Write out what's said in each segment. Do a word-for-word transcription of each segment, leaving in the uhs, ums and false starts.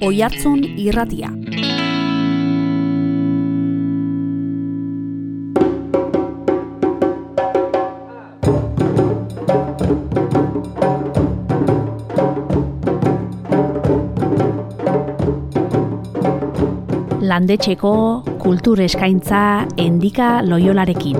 Oihartzun Irratia. Landetxeko kultur eskaintza Endika Loiolarekin.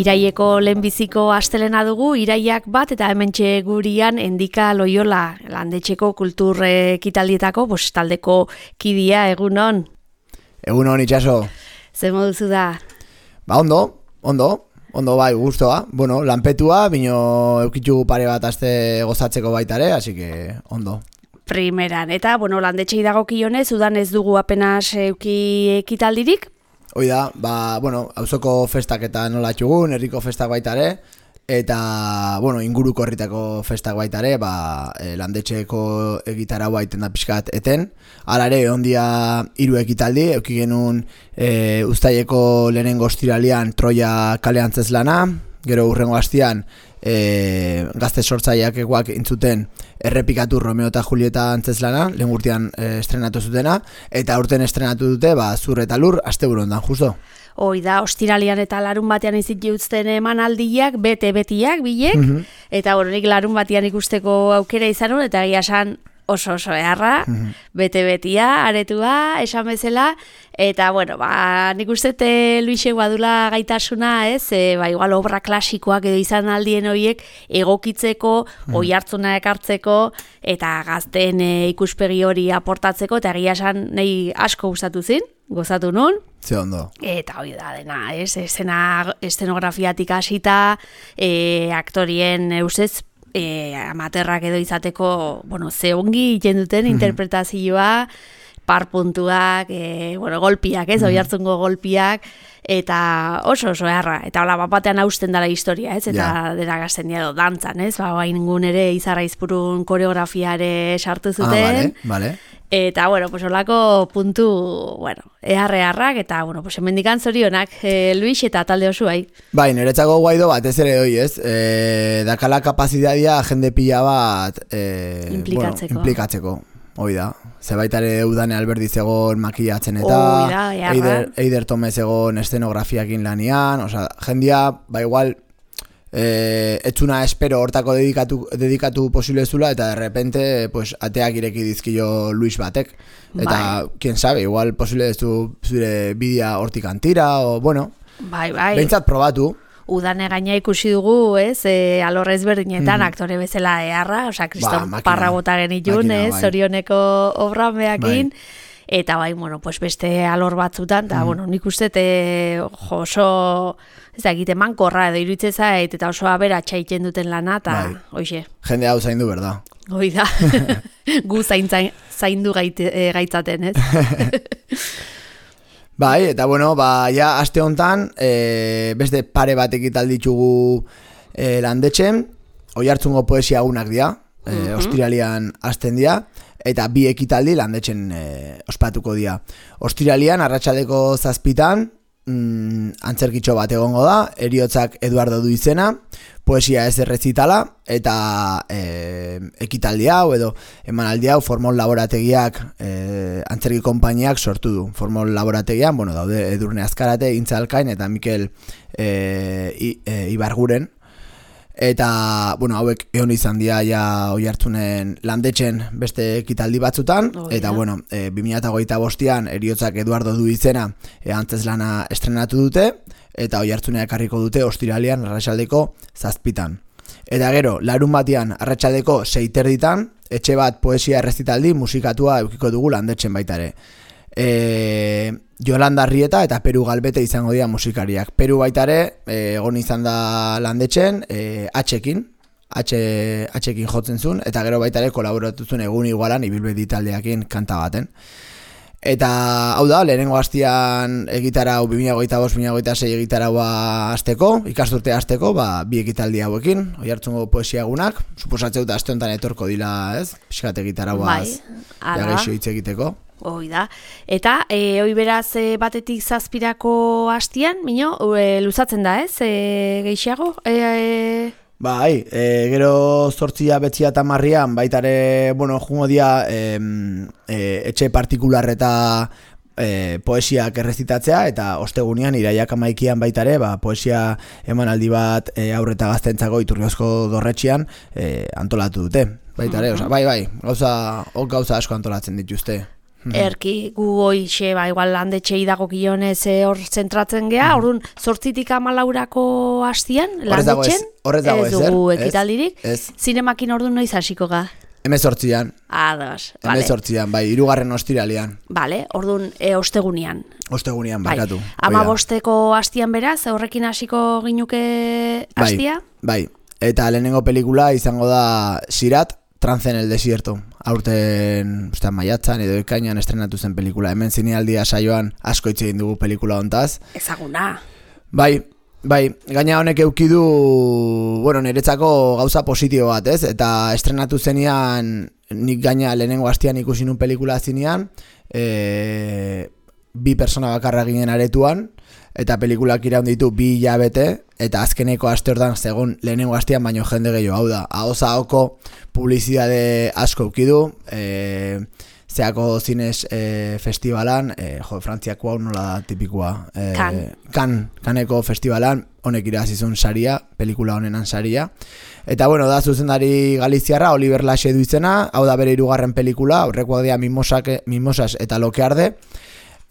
Iraieko lehenbiziko astelena dugu, iraiak bat eta hementxe gurian Endika Loiola, landetxeko kultur ekitaldietako taldeko kidia, egunon. Egunon, itxaso. Zer moduzu da? Ba, ondo, ondo. Ondo bai, gustoa. Bueno, lanpetua, bino eukitxu pare bat aste gozatzeko baitare, así que ondo. Primeran, eta, bueno, landetxei dagokionez, udan ez dugu apenas euki ekitaldirik? Hoi da, ba, bueno, auzoko festak eta nola txugun, herriko festak baitare, eta, bueno, inguruko herritako festak baitare, ba, e, landetxeko egitarau baiten da pixkat eten. Alare, ondia hiru ekitaldi, euki genuen e, Uztaileko lehenengo ostiralean Troia kale antzezlana, gero hurrengo hastian e, gazte sortzaileak eguak intzuten errepikatu Romeo eta Julieta antzezlana, lehen urtean e, estrenatu zutena, eta urten estrenatu dute, ba, zur eta lur, asteburu ondan, justo. Hoi da, ostiralian eta larun batean izit jutzen emanaldiak, bete-betiak, bilek, mm-hmm. eta bueno, nik larun batean ikusteko aukera izan hon, eta egia esan oso oso eharra, mm-hmm. bete-betia, aretua, esan bezala, eta bueno, ba, nik ustete Luise badula gaitasuna, ez, e, ba, igual obra klasikoak edo izan aldien horiek egokitzeko, mm-hmm. oihartzuna ekartzeko, eta gazten e, ikuspegi hori aportatzeko, eta egia esan nahi asko gustatu zin, gozatu nun. Ze ondo. Eta hori da dena, ez, esena, estenografiatik hasita, e, aktorien eusez, e, amaterrak edo izateko, bueno, ze ongi iten duten mm-hmm. interpretazioa, parpuntuak, e, bueno, golpiak, ez, mm-hmm. oihartzungo golpiak, eta oso oso eharra, eta hola bapatean hausten dela historia, ez, eta yeah. dena gazten edo dantzan, ez, ba, bain gun ere Izarraizpurun koreografiare sartu zuten, ah, vale, vale. Eta, bueno, pues holako puntu, bueno, eharre-harrak, eta, bueno, pues hemendikan zorionak, e, Luis eta talde oso bai. Bai, niretzako guaido bat, ez ere hoi, ez? E, dakala kapazitatea jende pila bat e, implikatzeko. Bueno, implikatzeko, hoi da. Zebaitare udane Alberdiz egon makillatzen eta da, Eider, Eider Tomez egon estenografiakin lanian, osea, jendia, ba igual, Eh, etxuna espero hortako dedikatu, dedikatu posible zula, eta de repente pues, ateak ireki dizkio Luis batek, eta bai. Quien sabe, igual posible ez du zure bidea hortik antira, o bueno, bai, bai. Behintzat probatu. Udane gaina ikusi dugu, ez, e, alorrez berdinetan mm-hmm. aktore bezala eharra, osea, Kriston ba, parra bota genitun, ez, bai. Zorioneko obrameakin, bai. Eta bai, bueno, pues beste alor batzutan, eta, mm. bueno, nik uste, te, jo, oso, ez da, egite mankorra edo iruditzen zait, eta oso abera txaiten duten lana, eta, bai. Hoxe. Jende hau zaindu, berda. Hoi da, gu zain, zain, zaindu gaite, e, gaitzaten, ez? Bai, eta, bueno, ba, ja, aste hontan, e, beste pare bat ekitaldi ditugu e, landetxen, Oihartzungo poesia egunak dira, e, mm-hmm. ostiralian hasten dira, eta bi ekitaldi landetxen e, ospatuko dira. Ostiralian, arratsaldeko zazpitan, mm, antzerkitxo bat egongo da, Heriotzak Eduardo du izena, poesia ez errezitala, eta e, ekitaldi hau, edo emanaldi hau, Formol Laborategiak, e, antzerki konpainiak sortu du. Formol Laborategian, bueno, daude Edurne Azkarate, Intza Alkain, eta Mikel e, I, e, Ibarguren, eta, bueno, hauek egon izan dira ja Oihartzunen landetxen beste ekitaldi batzutan, oh, eta, yeah. bueno, e, bi mila hogeita bostean Heriotzak Eduardo du izena e, antzezlana estrenatu dute, eta Oihartzunea ekarriko dute ostiralean arratsaldeko zazpitan. Eta gero, larun batean arratsaldeko seiterditan, etxe bat poesia errezitaldi musikatua eukiko dugu landetxen baitare. E, Jolanda Arrieta eta Peru Galbete izango dira musikariak. Peru baitare e, egon izan da landetxen e, H-ekin, H-ekin jotzen zuen, eta gero baitare kolaboratu zuen egun igualan ibilbedi taldeakin kanta baten. Eta, hau da, lehenengo hastian egitarau bi mila hogeita bost bi mila hogeita sei egitaraua hasteko, ikasturtea hasteko, ba, bi ekitaldi hauekin, Oiartzungo poesia egunak, suposatzeu da aste honetan etorko dila, ez? Piskat egitarauaz, bai, jageixo hitz egiteko. Hoi da. Eta, e, hoi beraz e, batetik zazpirako hastian, mino, e, luzatzen da, ez? E, gehiago? E, e... Bai, e, gero zortzia betzia eta marrian, baitare, bueno, jungo dia e, e, etxe partikular eta e, poesiak errezitatzea, eta ostegunean, iraiak amaikian baitare, ba, poesia emanaldi bat e, aurreta gaztentzako Iturriozko dorretxian e, antolatu dute. Baitare, mm-hmm. Osa, bai, bai, gauza, ok, gauza asko antolatzen dituzte. Erki, gu hoixe, ba, igual landetxei dago kionez hor zentratzen geha, mm. orduan, zortzitik amalaurako hastian, landetxen, ez, ez dugu ekitaldirik, zinemakin orduan noiz hasiko ga? Hemezortzian. Ados, vale. Hemezortzian, bai, hirugarren ostiralean. Vale, orduan, e, ostegunean. Ostegunean, barkatu. Bai. Ama bosteko hastian beraz, horrekin hasiko ginuke hastia? Bai, bai, eta lehenengo pelikula izango da Sirat, Trance en el desierto. Aurten, ustean maiatzan edo ekainan estrenatu zen pelikula. Hemen zinealdia saioan asko hitz egin dugu pelikula hontaz. Ezaguna. Bai, bai, gaina honek eukidu, bueno, niretzako gauza positibo bat, ez? Eta estrenatu zenian, nik gaina lehenengo hastian ikusi nun pelikula zinean, e, bi persona bakarra ginen aretuan, eta pelikulak iraun ditu bi hilabete, eta azkeneko aste hortan segun lehenengo hastian baino jende gehiago, hau da, ahoza hoko publizidade asko ukidu, e, zeako zinez e, festivalan, e, jo, Frantziako hau nola da tipikoa, e, kan. kan, kaneko festivalan, honek irazizun saria, pelikula honenan saria, eta bueno, da zuzendari galiziarra, Oliver Laxe du izena, hau da bere hirugarren pelikula, horrekoak dira Mimosas eta Lokearde.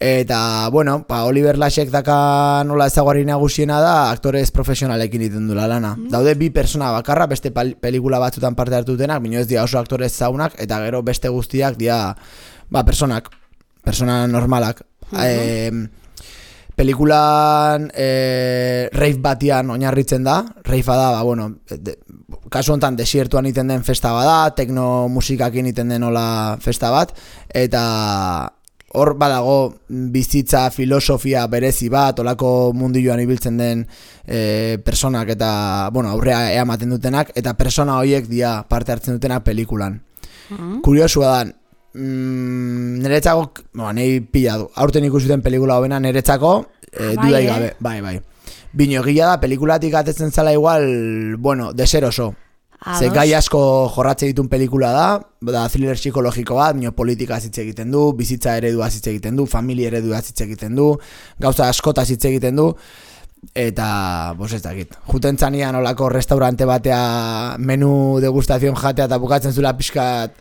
Eta, bueno, pa Oliver Laxek daka nola ezaguarri nagusiena da aktorez profesionalekin iten dula lana. Mm. Daude bi persona bakarra, beste pelikula batzutan parte hartu denak, bino ez dira oso aktorez zaunak, eta gero beste guztiak dira, ba, personak, persona normalak. Mm-hmm. E, pelikulan e, rave batian oinarritzen da, ravea da, ba, bueno, de, kasu honetan desiertuan iten den festa bada, tekno musikakin iten den nola festa bat, eta hor badago bizitza, filosofia berezi bat, olako mundilloan ibiltzen den e, personak eta, bueno, aurrea eamaten dutenak, eta persona horiek dia parte hartzen dutenak pelikulan. Mm-hmm. Kuriosua da, mm, niretzako, bueno, nahi pila du, aurten ikusuten pelikula hobena niretzako, e, bai, dudai eh? gabe, bai, bai. Bino egila da, pelikulatik atetzen zala igual, bueno, deseroso. Ze gai asko jorratze ditun pelikula da, da thriller psikologiko bat, nio politika hitz egiten du, bizitza eredua hitz egiten du, familia eredua hitz egiten du, gauza askotaz hitz egiten du, eta, bos ez dakit, juten txanian olako restaurante batea menu degustazioan jatea eta bukatzen zula pixkat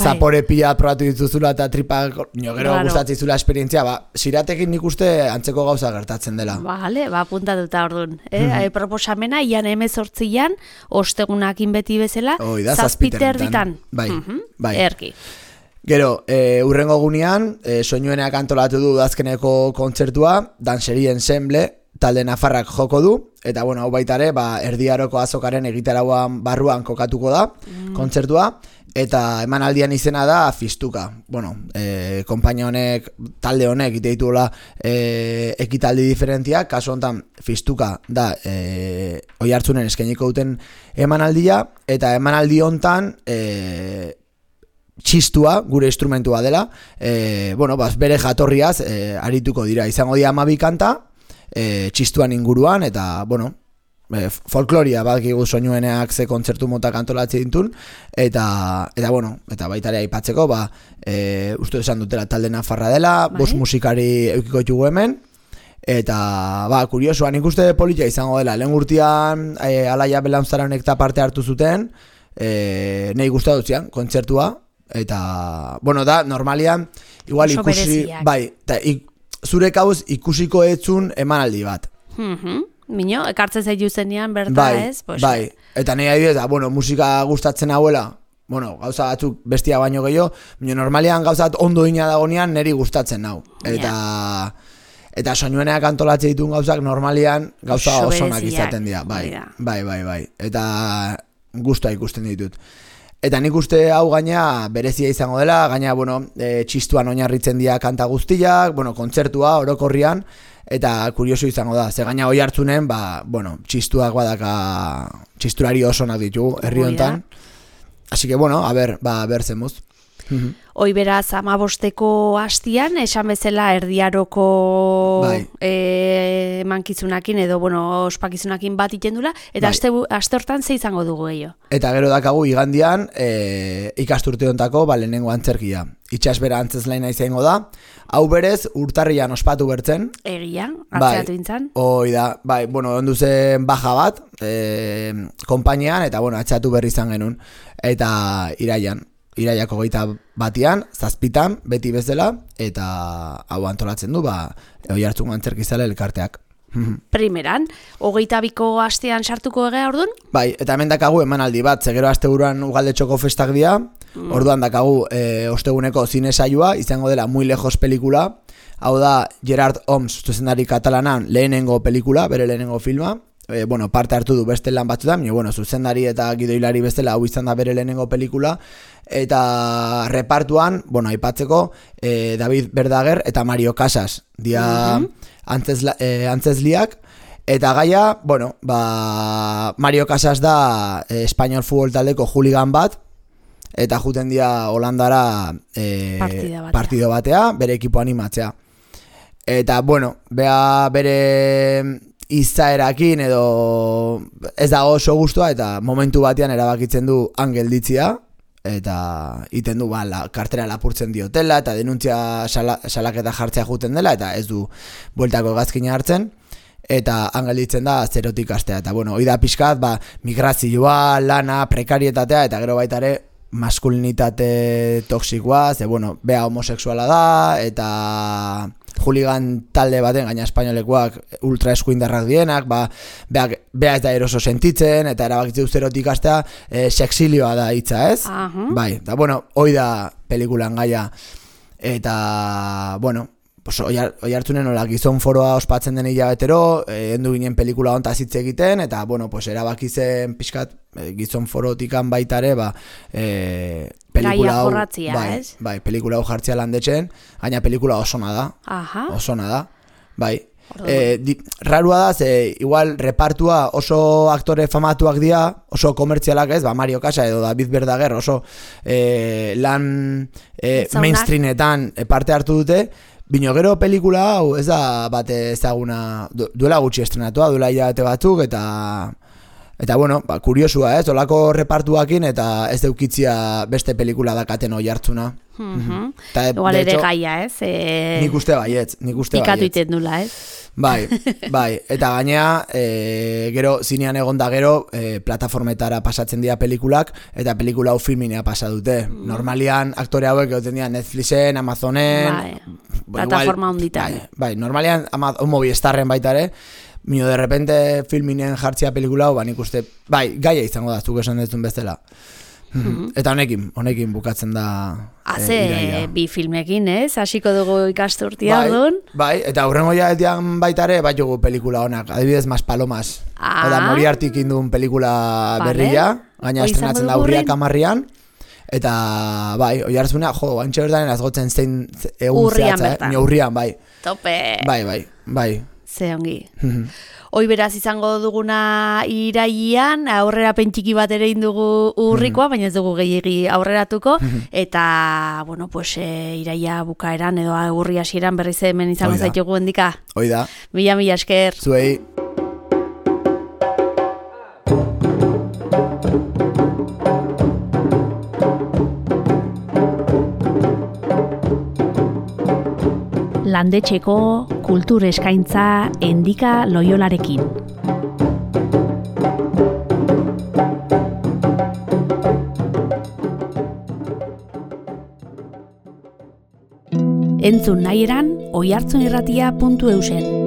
zapore pila probatu dituzula eta tripak, nio gero claro. Gustatzen zula esperientzia, ba, Siratekin nik uste antzeko gauza gertatzen dela. Vale, ba, puntatuta orduan. Eh? Mm-hmm. Proposamena, ian hemezortzian, ostegunakin beti bezala, zazpiter ditan. Bai, mm-hmm. bai. Erki. Gero, e, urrengo gunean, e, soinueneak antolatu du azkeneko kontzertua, Danseri Ensemble, talde nafarrak joko du, eta bueno, hau baitare, ba, erdiaroko azokaren egitarauan barruan kokatuko da, mm. kontzertua, eta emanaldian izena da Fistuka. Bueno, e, konpainia honek, talde honek ite ditula e, ekitaldi diferentiak, kasu honetan Fistuka da e, Oiartzunen eskainiko duten emanaldia, eta emanaldi honetan e, txistua, gure instrumentua dela, e, bueno, bas, bere jatorriaz e, arituko dira, izango dira hamabi kanta, e, txistuan inguruan, eta, bueno, E, folkloria badakigu soinueneak ze kontzertu motak antolatzen ditun, eta, eta bueno, eta baitare aipatzeko, ba, e, uste esan dutela talde nafarra dela, bai? Bost musikari eukiko ditugu hemen, eta, ba, kuriosoa, nik uste politia izango dela, lehen urtean, e, Alaia Belaunzaranek eta parte hartu zuten, e, nahi gustatu zian, kontzertua, eta, bueno, da, normalian, igual oso ikusi, bereziak. Bai, eta, ik, zure kauz ikusiko etzun emanaldi bat. Mhm. Mino, ekartzen zaitu zenean, berta bai, ez? Pues, bai, eta nahi adibidez, bueno, musika gustatzen hauela, bueno, gauza batzuk bestia baino gehiago, baina normalian gauza bat ondo ina dagonean niri gustatzen nau. Eta, yeah. eta soinueneak antolatzen ditun gauzak normalian gauza osonak izaten dira, bai, bai, bai, bai, eta gustua ikusten ditut. Eta nik uste hau gaina berezia izango dela, gaina, bueno, e, txistuan oinarritzen dira kanta guztiak, bueno, kontzertua, orokorrian, eta kurioso izango da. Ze gaina oi hartzunen, ba, bueno, txistuak badaka, txistulari oso nak ditugu, herri honetan. Así que, bueno, a ver, ba, ber zemuz. Hoi beraz, amabosteko hastian, esan bezala erdiaroko bai. e, mankizunakin edo, bueno, ospakizunakin bat itendula, eta bai. aste, aste hortan ze izango dugu gehiago. Eta gero dakagu igandian e, ikasturte hontako ba, lehenengo antzerkia. Itxasbera antzezlaina izango da, hau berez urtarrian ospatu bertzen. Egia, atzeatu intzan. Hoi da, bai, bueno, ondu zen baja bat, e, konpainian, eta bueno, atzeatu berri izan genuen, eta iraian. Iraiako geita batian, zazpitan, beti bezala, eta hau antolatzen du, ba, oi hartzun antzerkizale elkarteak. Primeran, hogeita biko astean sartuko egea orduan? Bai, eta hemen dakagu emanaldi bat, zegero asteburuan ugaldetxoko festak dira, mm. orduan dakagu e, osteguneko zine saioa, izango dela Muy Lejos pelikula, hau da Gerard Homs zuzendari katalanan lehenengo pelikula, bere lehenengo filma, e, bueno, parte hartu du beste lan batzutan, baina, bueno, zuzendari eta gidoilari bestela hau izan da bere lehenengo pelikula, eta repartuan, bueno, aipatzeko, eh, David Verdaguer eta Mario Casas, dia mm-hmm. antzesla, eh, antzesliak, eta gaia, bueno, ba, Mario Casas da eh, Espainiol futbol taldeko juligan bat, eta juten dia Holandara eh, partida batea. partido batea, bere ekipo animatzea. Eta, bueno, bea bere izaerakin edo ez dago oso gustua, eta momentu batean erabakitzen du angelditzia, eta iten du ba, la, kartera lapurtzen diotela eta denuntzia sala, salaketa jartzea juten dela eta ez du bueltako gazkina hartzen eta angelditzen da zerotik astea eta bueno, hoi da pixkat ba, migrazioa, lana, prekarietatea eta gero baita ere maskulinitate toksikoa, ze bueno, bea homosexuala da eta juligan talde baten gaina espainolekoak ultra eskuindarrak dienak, ba, beak, bea ez da eroso sentitzen, eta erabakitze zerotik astea e, sexilioa da hitza, ez? Uh-huh. Bai, eta bueno, hoi da pelikulan gaia, eta, bueno, pues, oi hartzunen hola gizon foroa ospatzen den hilabetero, e, endu ginen pelikula hontaz hitz egiten, eta, bueno, pues, erabakitzen pixkat e, gizon forotikan baitare, ba, e, pelikula hau, jorratzia, bai, ez? Bai, pelikula hau jartzea landetxen, gaina pelikula osona da. Aha. Osona da. Bai. E, di, rarua da, ze igual repartua oso aktore famatuak dira, oso komertzialak ez, ba Mario Casas edo David Verdaguer oso e, lan e, mainstreametan parte hartu dute, bino gero pelikula hau ez da bate ezaguna, du, duela gutxi estrenatua, duela hilabete batzuk, eta Eta bueno, ba, kuriosua ez, olako repartuakin eta ez deukitzia beste pelikula dakaten oi hartzuna. Mm-hmm. Igual ere gaia ez? E... Nik uste baietz, nik uste baietz. Ikatu iten dula ez? Bai, bai, eta gainea, e, gero zinean egon da gero, e, plataformetara pasatzen dira pelikulak, eta pelikula hau filminea pasa dute. Mm. Normalian aktore hauek egoten dira Netflixen, Amazonen... Bai, plataforma honditan. Bai, bai, normalian Movistarren baita ere, mino de repente filminen jartzia pelikula hau, ba nik uste, bai, gaia izango da, zuk esan dezun bezala. Mm-hmm. Eta honekin, honekin bukatzen da Haze, e, bi filmekin, ez? Hasiko dugu ikasturtia bai, orduan. Bai, eta hurrengo jaetian baita ere, bai jugu pelikula honak, adibidez Mas Palomas. Ah. Eta Moriartik induen pelikula vale. Berria, gaina estrenatzen da urriak amarrian. Eta bai, oi hartzuna, jo, bantxe berdanen azgotzen zein egun urrian zehatza, eh? Urrian, bai. Tope. Bai, bai, bai. Ze ongi. Hoi beraz izango duguna iraian, aurrera pentsiki bat ere indugu urrikoa, baina ez dugu gehiagi aurreratuko, eta, bueno, pues, e, iraia bukaeran edo urri hasieran berriz hemen izango zaitugu endika. Hoi da. Mila, mila esker. Zuei. Landetxeko kultur eskaintza Endika Loiolarekin. Entzun nahi eran oihartzunirratia puntu eusen.